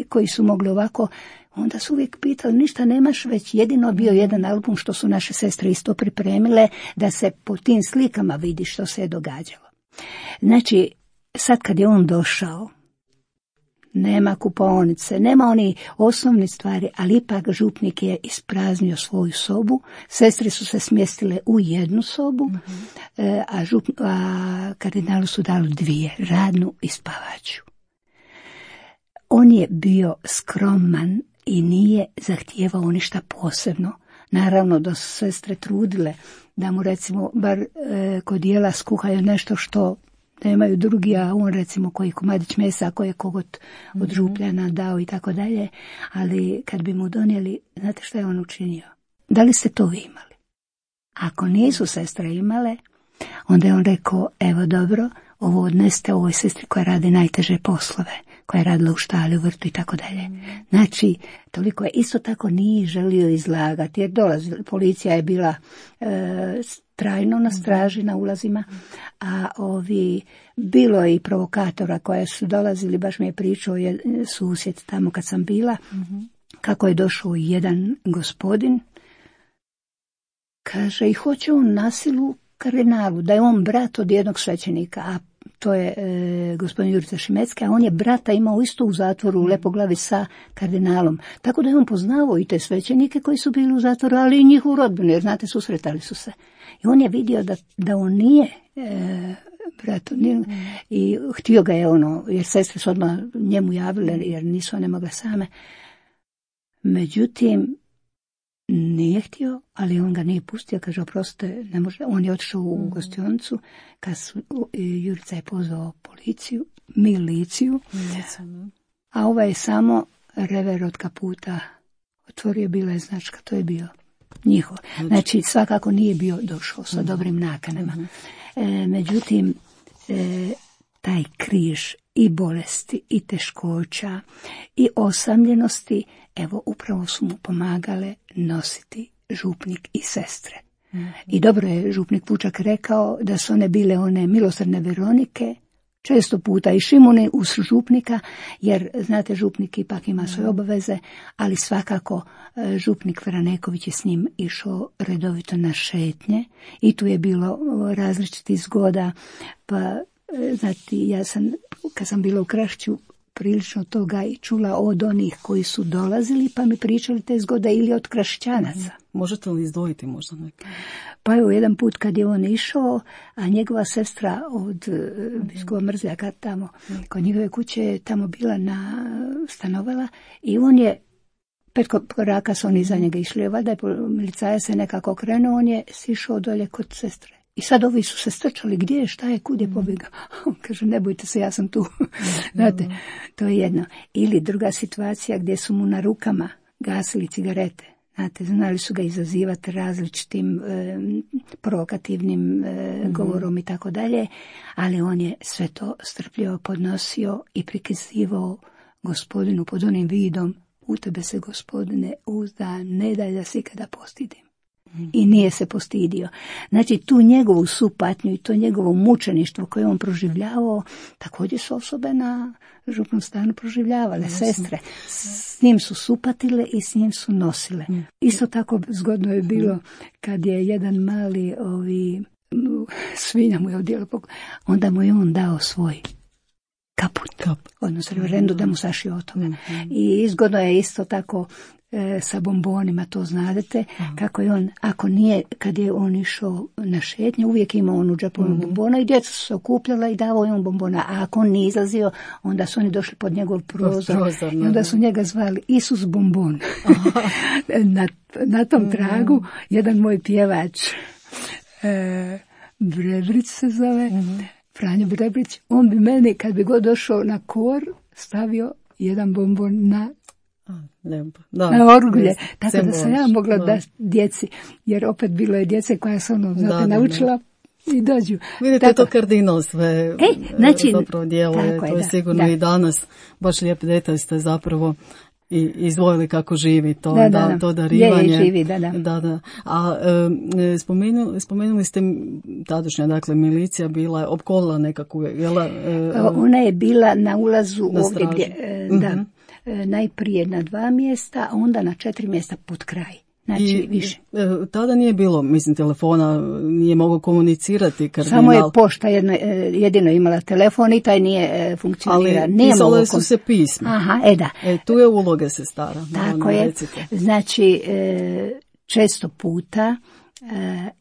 S3: koji su mogli ovako, onda su uvijek pitali, ništa nemaš, već jedino bio jedan album što su naše sestre isto pripremile, da se po tim slikama vidi što se je događalo. Znači, sad kad je on došao, nema kupaonice, nema oni osnovni stvari, ali ipak župnik je ispraznio svoju sobu, sestre su se smjestile u jednu sobu, mm-hmm. a, žup, a kardinalu su dali dvije, radnu i spavaću. On je bio skroman i nije zahtijevao ništa posebno. Naravno da su sestre trudile da mu recimo bar e, kod jela skuhaju nešto što nemaju drugi, a on recimo koji komadić mesa, koji je kogot od župljana dao i tako dalje, ali kad bi mu donijeli, znate šta je on učinio? Da li ste to vi imali? Ako nisu sestre imale, onda je on rekao, evo dobro, ovo odneste ovoj sestri koja radi najteže poslove, koja je radila u štali, u vrtu i tako dalje. Znači, toliko je, isto tako nije želio izlagati, jer dolazi, policija je bila e, trajno na straži na ulazima, a ovi, bilo je i provokatora koja su dolazili, baš mi je pričao je susjed tamo kad sam bila, mm-hmm. kako je došao jedan gospodin, kaže i hoće on na silu kardinalu, da je on brat od jednog svećenika, a to je e, gospodin Jurica Šimecki, a on je brata imao isto u zatvoru u Lepoglavi sa kardinalom. Tako da je on poznavao i te svećenike koji su bili u zatvoru, ali i njihovu rodbinu, jer znate, susretali su se. I on je vidio da, da on nije e, brat, nije, i htio ga je ono, jer sestre su odmah njemu javile, jer nisu one mogle same. Međutim, nije htio, ali on ga nije pustio, kaže, oprostite, ne može. On je otišao u gostionicu, kad su, Jurica je pozvao policiju, miliciju, a ovaj je samo rever od kaputa otvorio, bila je značka, to je bio njihov. Znači, svakako nije bio došao sa dobrim nakanama. E, međutim, e, taj križ i bolesti, i teškoća, i osamljenosti, evo, upravo su mu pomagale nositi župnik i sestre. Mm-hmm. I dobro je župnik Vučak rekao da su one bile one milosrdne Veronike, često puta i Šimune uz župnika, jer, znate, župnik ipak ima svoje obaveze, ali svakako župnik Vraneković je s njim išao redovito na šetnje i tu je bilo različitih zgoda, pa, znate, ja sam, kad sam bila u Krašiću, prilično toga i čula od onih koji su dolazili, pa mi pričali te zgode ili od Krašićanaca.
S2: Možete li izdvojiti možda neke?
S3: Pa evo, jedan put kad je on išao, a njegova sestra od biskova Mrzljaka tamo, kod njegove kuće je tamo bila na stanovala i on je, pet koraka su oni iza njega išli, valjda je milicajac se nekako okrenuo, on je sišao dolje kod sestre. I sad ovi su se strčali, gdje je, šta je, kud je pobjegao. On kaže, ne bojte se, ja sam tu. Znate, to je jedno. Ili druga situacija gdje su mu na rukama gasili cigarete. Znate, znali su ga izazivati različitim e, provokativnim e, mm-hmm. govorom i tako dalje, ali on je sve to strpljivo podnosio i prikazivao Gospodinu pod onim vidom: u tebe se, Gospodine, uzda, ne daj da se ikada postidim. Mm-hmm. I nije se postidio. Znači, tu njegovu supatnju i to njegovo mučeništvo koje on proživljavao, također su osobe na župnom stanu proživljavale, yes. sestre. S njim su supatile i s njim su nosile. Mm. Isto tako zgodno je bilo kad je jedan mali ovi, svinja mu je odjela, onda mu je on dao svoj kaput, Kap. odnosno reverendu da mu sašio o tome. Mm-hmm. I izgodno je isto tako e, sa bombonima, to znadete, mm-hmm. kako je on, ako nije, kad je on išao na šetnje, uvijek imao on u džepu mm-hmm. bombona i djeca su se okupljala i davao je on bombona, a ako on nije izlazio, onda su oni došli pod njegov prozor, prozor i onda su njega zvali Isus bombon. na, na tom mm-hmm. tragu jedan moj pjevač, e, Brebrić se zove, mm-hmm. Franjo Brebrić, on bi meni, kad bi god došao na kor, stavio jedan bombon na,
S2: da,
S3: na orgulje. Tako da sam ja mogla da, da djeci, jer opet bilo je djece koja su ono, znate, da, naučila da. I dođu.
S2: Vidite, tako, to kardinal sve
S3: e, znači,
S2: zapravo djeluje, to je, je da, sigurno da. I danas, baš lijep detalj ste zapravo i izdvojili kako živi to,
S3: da, da,
S2: da, to darivanje.
S3: Je, živi, da, da.
S2: da, da. A e, spomenuli, spomenuli ste tadašnja, dakle, milicija bila je opkolila nekakvu, jela? E,
S3: Ona je bila na ulazu na ovdje gdje, e, da, mm-hmm. e, najprije na dva mjesta, a onda na četiri mjesta pod kraj. Znači,
S2: I,
S3: više.
S2: E, tada nije bilo, mislim, telefona, nije mogao komunicirati kardinal.
S3: Samo je pošta jedno, jedino imala telefon i taj nije funkcionira.
S2: Ali pisale su se pisma.
S3: Aha, e da.
S2: E, tu je uloga sestara.
S3: Tako je. Recite. Znači, često puta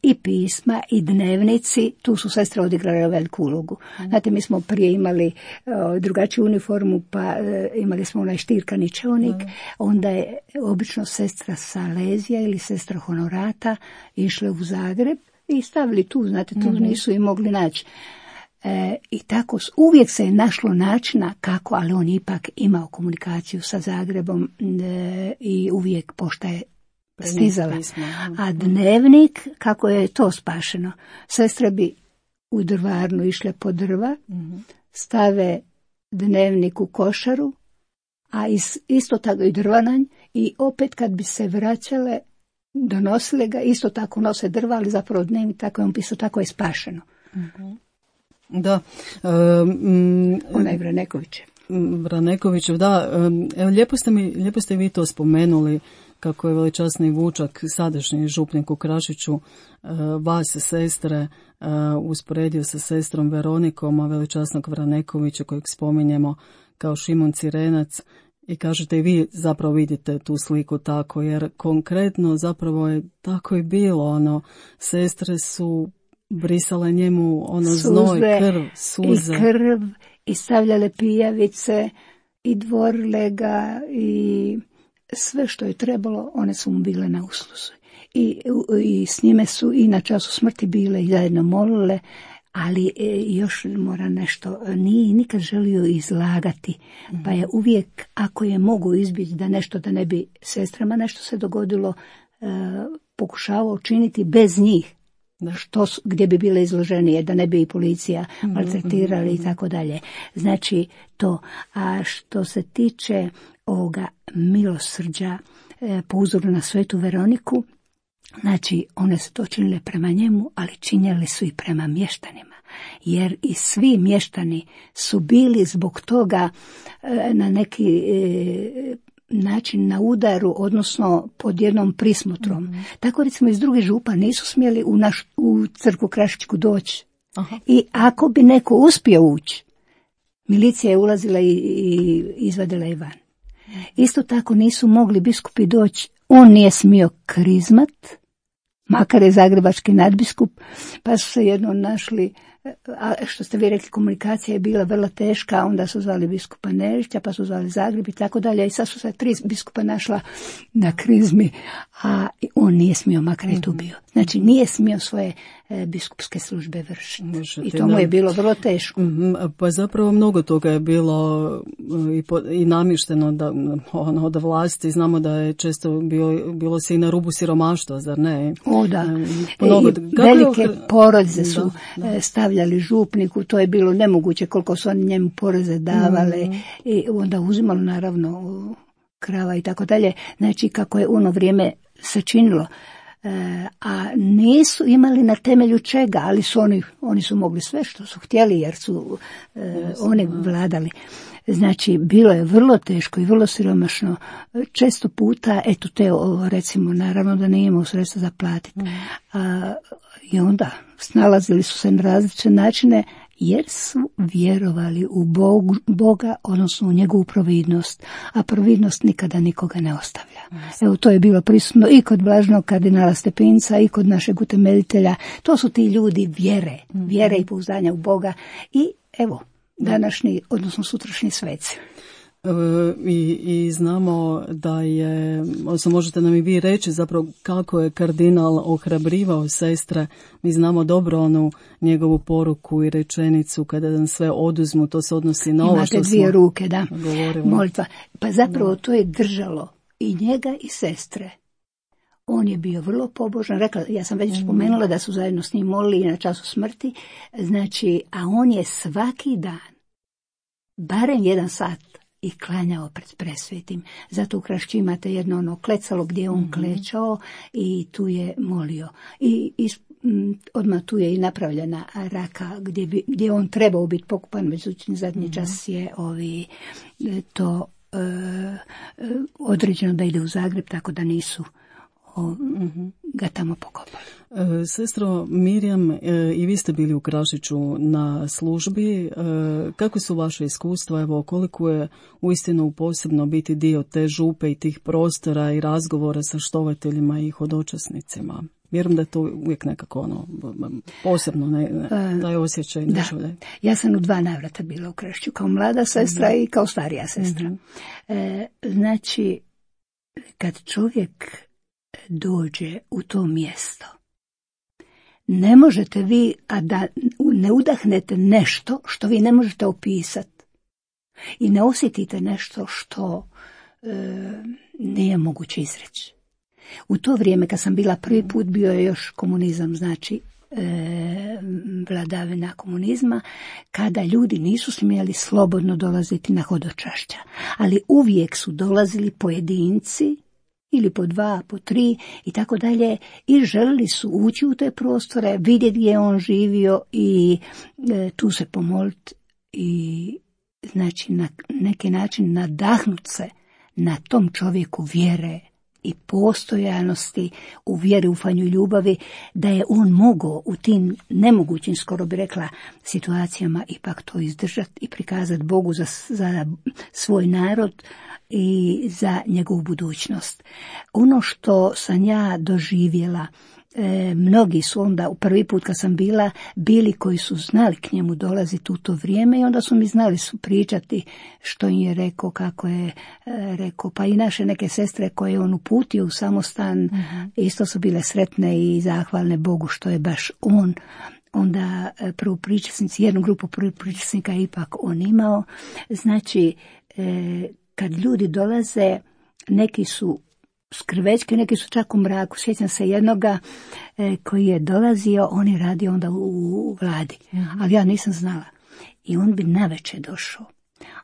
S3: i pisma i dnevnici, tu su sestre odigrale veliku ulogu. Znate, mi smo prije imali o, drugačiju uniformu, pa e, imali smo onaj štirkani čeonik, mm. onda je obično sestra Salezija ili sestra Honorata išle u Zagreb i stavili tu, znate, tu mm-hmm. nisu i mogli naći. E, I tako uvijek se je našlo načina kako, ali on ipak imao komunikaciju sa Zagrebom e, i uvijek pošta je stizala. A dnevnik, kako je to spašeno? Sestre bi u drvarnu išle po drva, stave dnevnik u košaru, a isto tako i drvananj, i opet kad bi se vraćale, donosile ga, isto tako nose drva, ali zapravo dnevnik, tako je on pisao, tako je spašeno.
S2: Da. Um,
S3: Onaj Vraneković.
S2: Vranekovićev, da. Evo, lijepo ste mi, lijepo ste vi to spomenuli, kako je veličasni Vučak, sadašnji župnik u Krašiću, vas sestre usporedio sa sestrom Veronikom, a veličasnog Vranekovića kojeg spominjemo kao Šimon Cirenac, i kažete i vi zapravo vidite tu sliku tako, jer konkretno zapravo je tako i bilo, ono, sestre su brisale njemu ono suze, znoj, krv, suze.
S3: I krv, i stavljale pijavice, i dvorile ga, i sve što je trebalo, one su mu bile na usluzi. I, i s njime su i na času smrti bile i zajedno molile, ali e, još mora nešto, nije nikad želio izlagati, mm-hmm. pa je uvijek, ako je mogu izbjeći da nešto, da ne bi sestrama nešto se dogodilo, e, pokušavao učiniti bez njih, što, gdje bi bile izloženije, da ne bi i policija maltretirali mm-hmm. i tako dalje. Znači to. A što se tiče ovoga milosrđa e, po uzoru na svetu Veroniku, znači one su to činile prema njemu, ali činjeli su i prema mještanima. Jer i svi mještani su bili zbog toga e, na neki e, način na udaru, odnosno pod jednom prismotrom. Mm-hmm. Tako recimo iz drugih župa nisu smjeli u, naš, u crkvu Krašićku doći. Aha. I ako bi neko uspio ući, milicija je ulazila i, i izvadila je van. Isto tako nisu mogli biskupi doći, on nije smio krizmat, makar je zagrebački nadbiskup, pa su se jednom našli a što ste vi rekli, komunikacija je bila vrlo teška, onda su zvali biskupa Nežića, pa su zvali Zagreb i tako dalje, i sad su se tri biskupa našla na krizmi, a on nije smio, makar je tu bio. Znači, nije smio svoje e, biskupske službe vršiti. I to mu je bilo vrlo teško.
S2: Pa zapravo mnogo toga je bilo i, po, i namješteno da, ono, da vlasti. Znamo da je često bio, bilo se i na rubu siromaštva, zar ne?
S3: O da.
S2: Mnogo,
S3: I velike porodice su da, da. stavljali župniku, to je bilo nemoguće koliko su oni njemu poreze davale, mm. i onda uzimalo naravno krava i tako dalje. Znači, kako je ono vrijeme se činilo. E, a nisu imali na temelju čega, ali su oni, oni su mogli sve što su htjeli, jer su e, yes, oni vladali. Znači, bilo je vrlo teško i vrlo siromašno. Često puta, eto te, recimo, naravno da nije imao sredstva za platiti. Mm. A, I onda snalazili su se na različite načine, jer su vjerovali u Bogu, Boga, odnosno u njegovu providnost, a providnost nikada nikoga ne ostavlja. Yes. Evo, to je bilo prisutno i kod blaženog kardinala Stepinca i kod našeg utemeljitelja. To su ti ljudi vjere, mm-hmm. vjere i pouzdanja u Boga i evo, današnji, odnosno sutrašnji sveci.
S2: I, i znamo da je, odnosno možete nam i vi reći zapravo kako je kardinal ohrabrivao sestre. Mi znamo dobro onu njegovu poruku i rečenicu kada nam sve oduzmu, to se odnosi na ovo što
S3: imate dvije
S2: smo
S3: ruke, da,
S2: govorili.
S3: Molitva. Pa zapravo
S2: Da.
S3: to je držalo i njega i sestre. On je bio vrlo pobožan, rekla, ja sam već spomenula da su zajedno s njim molili na času smrti, znači, a on je svaki dan, barem jedan sat, i klanjao pred presvetim. Zato u Krašći imate jedno ono klecalo gdje je on mm-hmm. klečao i tu je molio. I, i m, odmah tu je i napravljena raka gdje, bi, gdje on trebao biti pokupan, međutim zadnji mm-hmm. čas je ovi, to e, određeno da ide u Zagreb, tako da nisu o, mm-hmm. ga tamo pokopali.
S2: E, sestro Mirjam, e, i vi ste bili u Krašiću na službi. E, kako su vaše iskustva? Evo, koliko je uistinu posebno biti dio te župe i tih prostora i razgovora sa štovateljima i hodočasnicima? Vjerujem da je to uvijek nekako ono, posebno, ne, ne, taj osjećaj.
S3: Da. Ja sam u dva navrata bila u Krašiću, kao mlada sestra mm-hmm. i kao starija sestra. Mm-hmm. E, znači, kad čovjek dođe u to mjesto, ne možete vi, a da ne udahnete nešto što vi ne možete opisati i ne osjetite nešto što e, nije moguće izreći. U to vrijeme kad sam bila prvi put, bio je još komunizam, znači e, vladavina komunizma, kada ljudi nisu smjeli slobodno dolaziti na hodočašća, ali uvijek su dolazili pojedinci ili po dva, po tri i tako dalje, i želili su ući u te prostore, vidjeti gdje je on živio i e, tu se pomoliti i znači na neki način nadahnut se na tom čovjeku vjere i postojanosti, u vjeri, ufanju i ljubavi, da je on mogao u tim nemogućim, skoro bi rekla, situacijama ipak to izdržati i prikazati Bogu za, za svoj narod i za njegovu budućnost. Ono što sam ja doživjela, e, mnogi su onda, u prvi put kad sam bila, bili koji su znali k njemu dolaziti u to vrijeme i onda su mi znali su pričati što im je rekao, kako je e, rekao. Pa i naše neke sestre koje je on uputio u samostan, mm-hmm. isto su bile sretne i zahvalne Bogu što je baš on. Onda prvopričasnici, jednu grupu prvopričasnika ipak on imao. Znači, e, kad ljudi dolaze, neki su skrvečki, neki su čak u mraku. Sjećam se jednoga e, koji je dolazio, on je radio onda u, u vladi, mm-hmm. ali ja nisam znala. I on bi navečer došao.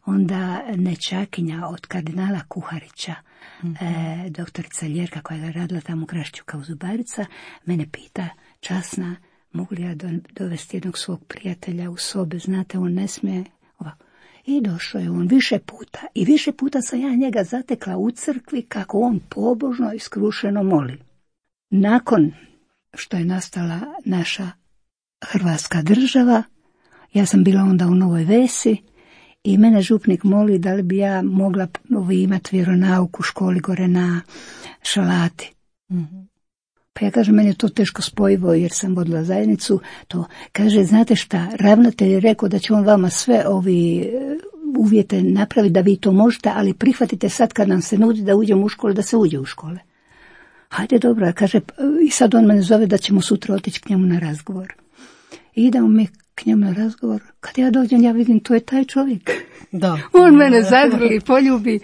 S3: Onda nečakinja od kardinala Kuharića, mm-hmm. e, doktorica Ljerka koja je radila tamo u Krašiću kao zubarica, mene pita, časna, mogu li ja do, dovesti jednog svog prijatelja u sobe, znate, on ne smije ovako. I došao je on više puta. I više puta sam ja njega zatekla u crkvi kako on pobožno i skrušeno moli. Nakon što je nastala naša Hrvatska država, ja sam bila onda u Novoj Vesi i mene župnik moli da li bi ja mogla imati vjeronauk u školi gore na Šalati. Mm-hmm. Pa ja kažem, meni je to teško spojivo jer sam vodila zajednicu. To kaže, znate šta, ravnatelj je rekao da će on vama sve ovi uvjete napraviti da vi to možete, ali prihvatite sad kad nam se nudi da uđemo u škole, da se uđe u škole. Hajde, dobro, kaže, i sad on mene zove da ćemo sutra otići k njemu na razgovor. I idemo mi k njemu na razgovor. Kad ja dođem, ja vidim, to je taj čovjek.
S2: Da.
S3: On mene zagrli, poljubi.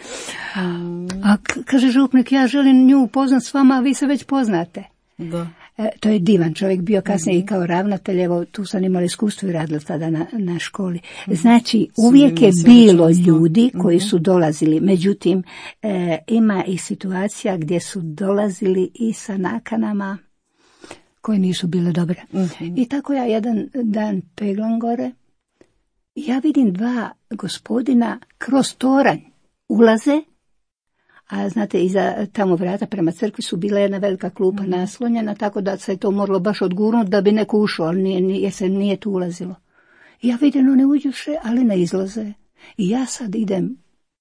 S3: A kaže župnik, ja želim nju upoznat s vama, a vi se već poznate.
S2: Da.
S3: E, to je divan čovjek, bio kasnije mm-hmm. i kao ravnatelj, evo tu sam imala iskustvo i radila tada na, na školi. Znači, uvijek je bilo ljudi koji su dolazili, međutim, e, ima i situacija gdje su dolazili i sa nakanama koje nisu bile dobre. Mm-hmm. I tako ja jedan dan peglam gore, ja vidim dva gospodina kroz toranj ulaze, a znate, iza tamo vrata prema crkvi su bila jedna velika klupa mm. naslonjena, tako da se to moralo baš odgurnuti da bi neko ušao, ali nije, nije, jer se nije tu ulazilo. I ja vidim, one uđuše, ali ne izlaze. I ja sad idem,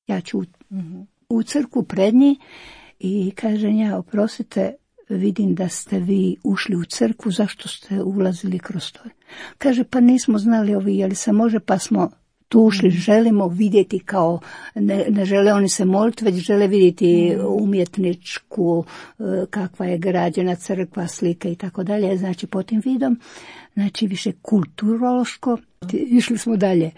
S3: ja ću mm-hmm. u crkvu pred njih i kažem ja, oprostite, vidim da ste vi ušli u crkvu, zašto ste ulazili kroz to? Kaže, pa nismo znali ovi, je li se može, pa smo tu ušli, želimo vidjeti kao, ne, ne žele oni se moliti, već žele vidjeti umjetničku, kakva je građena crkva, slike i tako dalje. Znači, po tim vidom, znači više kulturološko, išli smo dalje.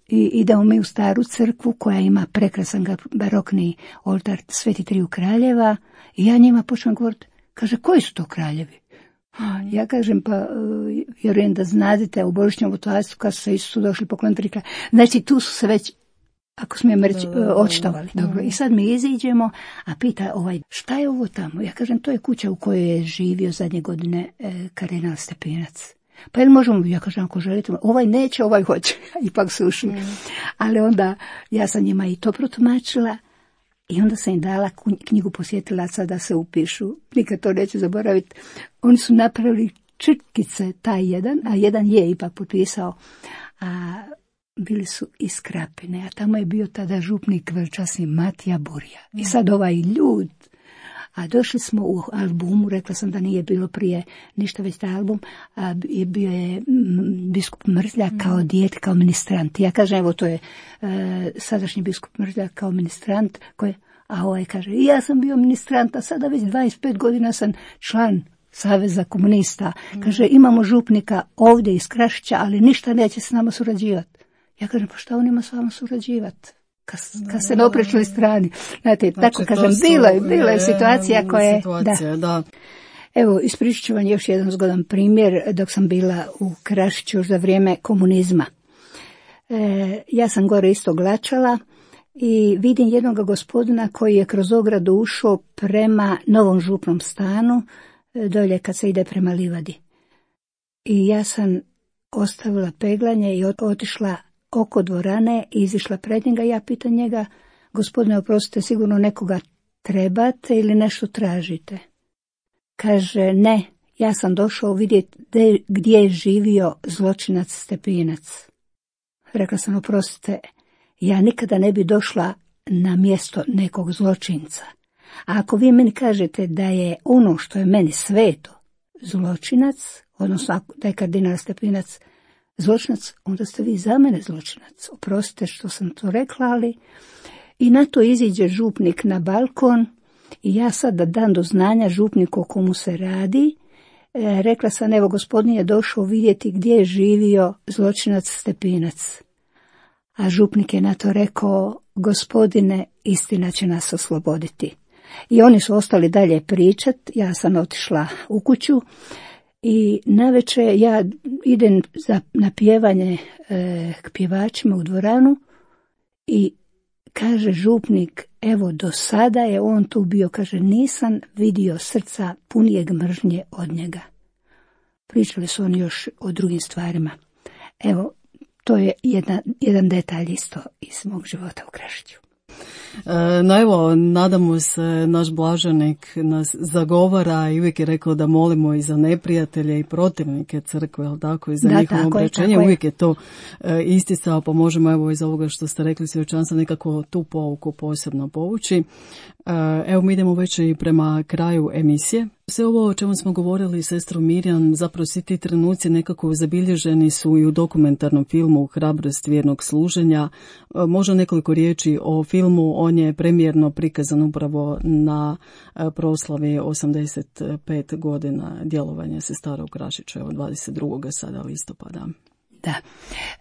S3: I idemo mi u staru crkvu koja ima prekrasan barokni oltar Sveti Triju kraljeva i ja njima počnem govoriti, kaže, koji su to kraljevi? Ja kažem, pa vjerujem da znadete u Božićnom vutovastu kad su se Isusu došli pokloniti tri kralja. Znači tu su se već, ako smijem reći, očitovali. Dobro, i sad mi iziđemo, a pita ovaj, šta je ovo tamo? Ja kažem, to je kuća u kojoj je živio zadnje godine e, kardinal Stepinac. Pa jel možemo, ja kažem, ako želite, ovaj neće, ovaj hoće. Ipak su ušli. Mm. Ali onda ja sam njima i to protumačila. I onda sam im dala knjigu posjetilaca da se upišu. Nikad to neću zaboraviti. Oni su napravili črtkice, taj jedan, a jedan je ipak potpisao. A bili su iz Krapine, a tamo je bio tada župnik velčasni Matija Burja. I sad ovaj ljud. A došli smo u albumu, rekla sam da nije bilo prije ništa, već taj album, a je bio je biskup Mrzljak kao dijete, kao ministrant. Ja kažem, evo to je e, sadašnji biskup Mrzljak kao ministrant, koji, a ovaj kaže, ja sam bio ministrant, a sada već dvadeset pet godina sam član Saveza komunista. Kaže, imamo župnika ovdje iz Krašića, ali ništa neće s nama surađivati. Ja kažem, pa šta on ima s vama surađivati? Kad, kad ste na oprečnoj strani. Znate, znači, tako kažem, bila je, bila je situacija koja je... Da. Da. Evo, ispričat ću vam još jedan zgodan primjer dok sam bila u Krašiću za vrijeme komunizma. E, ja sam gore isto glačala i vidim jednog gospodina koji je kroz ogradu ušao prema novom župnom stanu, dolje kad se ide prema livadi. I ja sam ostavila peglanje i otišla oko dvorane i izišla pred njega. Ja pitam njega, gospodine, oprostite, sigurno nekoga trebate ili nešto tražite? Kaže, ne, ja sam došao vidjeti de, gdje je živio zločinac Stepinac. Rekla sam, oprostite, ja nikada ne bi došla na mjesto nekog zločinca. A ako vi meni kažete da je ono što je meni sveto zločinac, odnosno da je kardinal Stepinac zločinac, onda ste vi za mene zločinac. Oprostite što sam to rekla, ali... I na to iziđe župnik na balkon i ja sad da dam do znanja župniku o komu se radi. E, rekla sam, evo, gospodin je došao vidjeti gdje je živio zločinac Stepinac. A župnik je na to rekao, gospodine, istina će nas osloboditi. I oni su ostali dalje pričat, ja sam otišla u kuću. I navečer ja idem za, na pjevanje e, k pjevačima u dvoranu i kaže župnik, evo do sada je on tu bio, kaže, nisam vidio srca punijeg mržnje od njega. Pričali su oni još o drugim stvarima. Evo, to je jedna, jedan detalj isto iz mog života u Krašiću.
S2: E, no evo, nadamo se, naš blaženik nas zagovara i uvijek je rekao da molimo i za neprijatelje i protivnike crkve, ali tako, i za da, njihovo obraćenje. Uvijek je to e, isticao, pa možemo evo iz ovoga što ste rekli svjedočanstva nekako tu pouku posebno povući. E, evo mi idemo već i prema kraju emisije. Sve ovo o čemu smo govorili, sestro Mirjam, zapravo svi ti trenuci nekako zabilježeni su i u dokumentarnom filmu Hrabrost vjernog služenja. Možda nekoliko riječi o filmu, on je premijerno prikazan upravo na proslavi osamdeset pet godina djelovanja sestara u Krašiću, evo dvadeset drugog sada listopada.
S3: Da,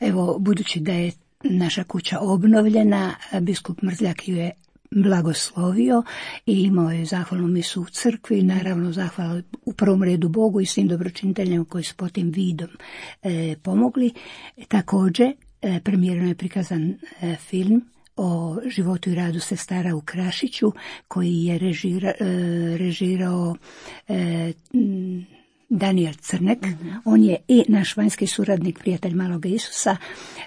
S3: evo budući da je naša kuća obnovljena, biskup Mrzljak ju je blagoslovio i imao je zahvalnu misu u crkvi, naravno zahvala u prvom redu Bogu i svim dobročiniteljima koji su po tim vidom e, pomogli. Također, e, premijerno je prikazan e, film o životu i radu sestara u Krašiću, koji je režira, e, režirao e, Daniel Crnek. Mm-hmm. On je i naš vanjski suradnik, prijatelj Maloga Isusa.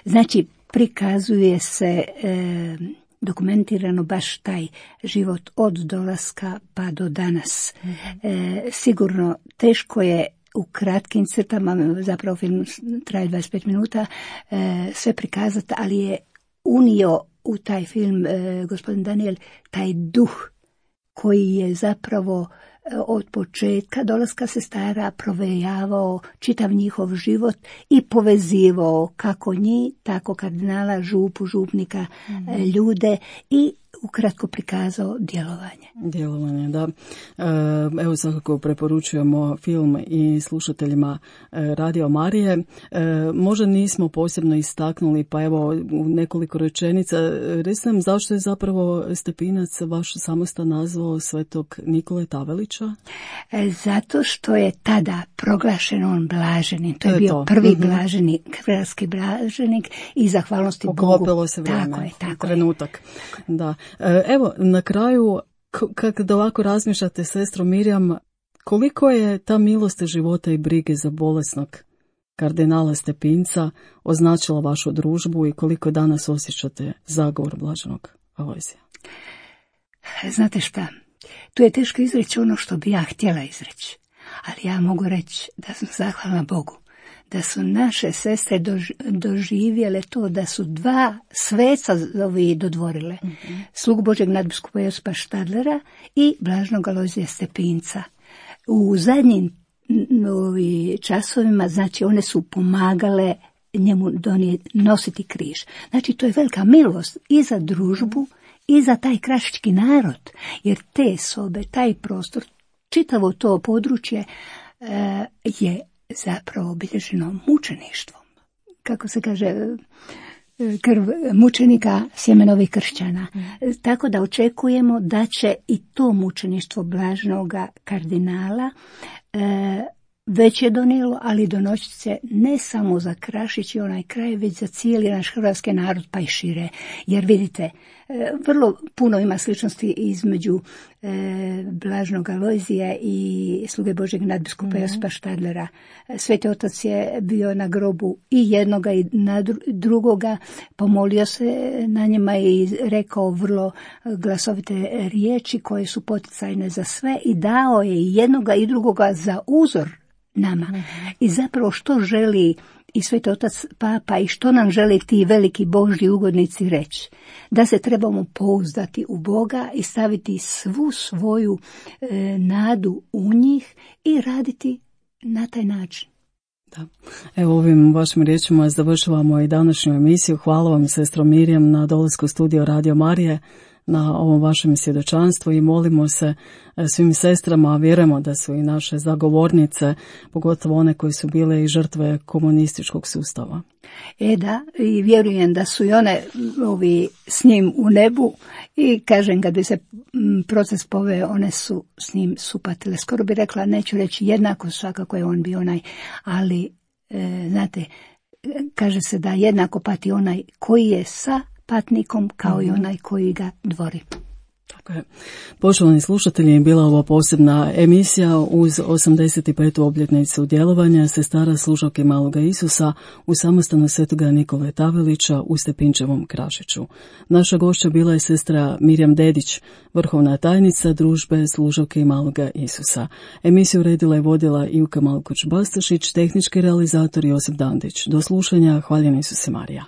S3: Znači, prikazuje se e, dokumentirano baš taj život od dolaska pa do danas. Mm-hmm. E, sigurno teško je u kratkim crtama, zapravo film traje dvadeset pet minuta, e, sve prikazati, ali je unio u taj film e, gospodin Daniel taj duh koji je zapravo od početka dolaska sestara provejavao čitav njihov život i povezivao kako njih, tako kardinala, župu, župnika, mm. ljude i ukratko prikazao djelovanje.
S2: Djelovanje, da. Evo svakako preporučujemo film i slušateljima Radio Marije. Možda nismo posebno istaknuli, pa evo u nekoliko rečenica. Recite nam zašto je zapravo Stepinac vaš samostan nazvao svetog Nikole Tavelića?
S3: Zato što je tada proglašen on blaženim. To je, to je bio to. prvi mm-hmm. blaženik, hrvatski blaženik i zahvalnosti Bogu.
S2: Poklopilo se vrijeme,
S3: tako je, tako
S2: trenutak. Je. Da. Evo, na kraju, kako da ovako razmišljate, sestro Mirjam, koliko je ta milost života i brige za bolesnog kardinala Stepinca označila vašu družbu i koliko danas osjećate zagovor blaženog Alojzija?
S3: Znate šta, tu je teško izreći ono što bi ja htjela izreći, ali ja mogu reći da sam zahvalna Bogu da su naše sestre doživjele to, da su dva sveca ovi dodvorile. Mm-hmm. Slugu Božeg nadbiskupa Josipa Štadlera i blaženog Alojzija Stepinca. U zadnjim ovi časovima, znači, one su pomagale njemu donijeti, nositi križ. Znači, to je velika milost i za družbu i za taj krašički narod, jer te sobe, taj prostor, čitavo to područje e, je zapravo obilježeno mučeništvom. Kako se kaže, krv mučenika, sjemenovih kršćana. Mm. Tako da očekujemo da će i to mučeništvo blaženoga kardinala e, već je donijelo, ali donosit će ne samo za Krašić i onaj kraj, već za cijeli naš hrvatski narod, pa i šire. Jer vidite, vrlo puno ima sličnosti između e, blaženog Alojzija i sluge Božeg nadbiskupa mm-hmm. Josipa Štadlera. Sveti otac je bio na grobu i jednoga i na drugoga, pomolio se na njima i rekao vrlo glasovite riječi koje su poticajne za sve i dao je i jednoga i drugoga za uzor nama. Mm-hmm. I zapravo što želi i Sveti otac Papa i što nam žele ti veliki Božji ugodnici reći? Da se trebamo pouzdati u Boga i staviti svu svoju e, nadu u njih i raditi na taj način.
S2: Da. Evo ovim vašim riječima završavamo i današnju emisiju. Hvala vam, sestro Mirjam, na dolasku u studio Radio Marije, na ovom vašem svjedočanstvu i molimo se svim sestrama, a vjerujemo da su i naše zagovornice, pogotovo one koje su bile i žrtve komunističkog sustava.
S3: E da, i vjerujem da su i one ovi s njim u nebu i kažem, kad bi se proces poveo, one su s njim supatile. Skoro bi rekla, neću reći jednako, svakako je on bio onaj, ali e, znate, kaže se da jednako pati onaj koji je sa patnikom kao i onaj koji ga dvori.
S2: Tako je. Poštovani slušatelji, bila ovo posebna emisija uz osamdeset petu obljetnicu djelovanja sestara služavke Maloga Isusa u samostanu svetoga Nikole Tavelića u Stepinčevom Krašiću. Naša gošća bila je sestra Mirjam Dedić, vrhovna tajnica družbe služavke Maloga Isusa. Emisiju redila i vodila Ivka Malkoć-Bastašić, tehnički realizator Josip Dandić. Do slušanja, hvaljeni Isuse Marija.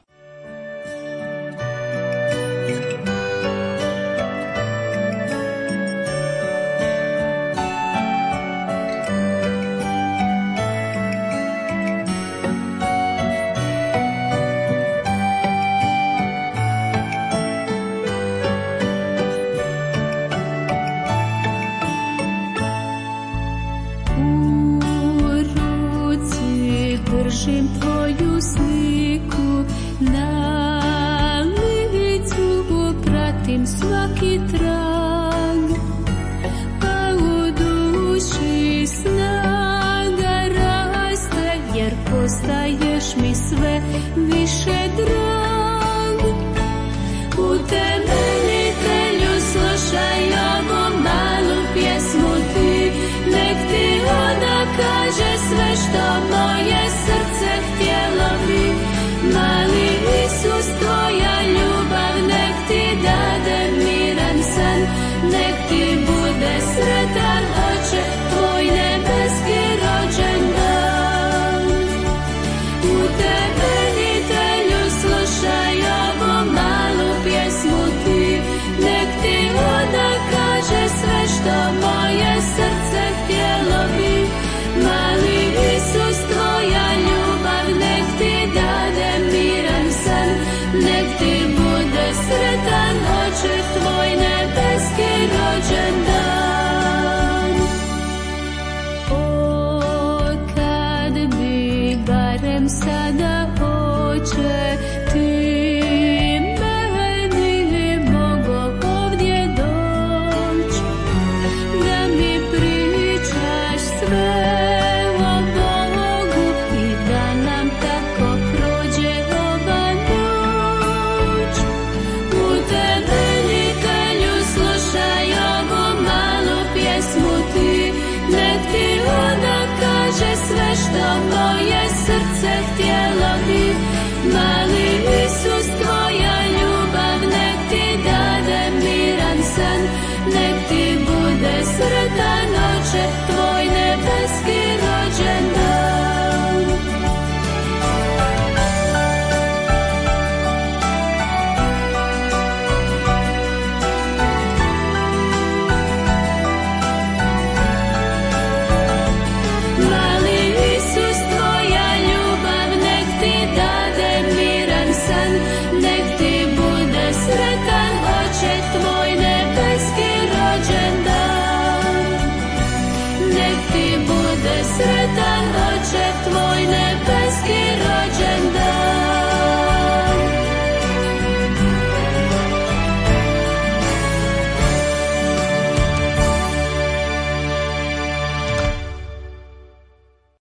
S4: će ti meni mogo ovdje doći, da mi pričaš sve o Bogu i da nam tako prođe ova noć. U temeljitelju slušaj ovu malu pjesmu ti, nek ti ona kaže sve što moje srce htjelo bi, mali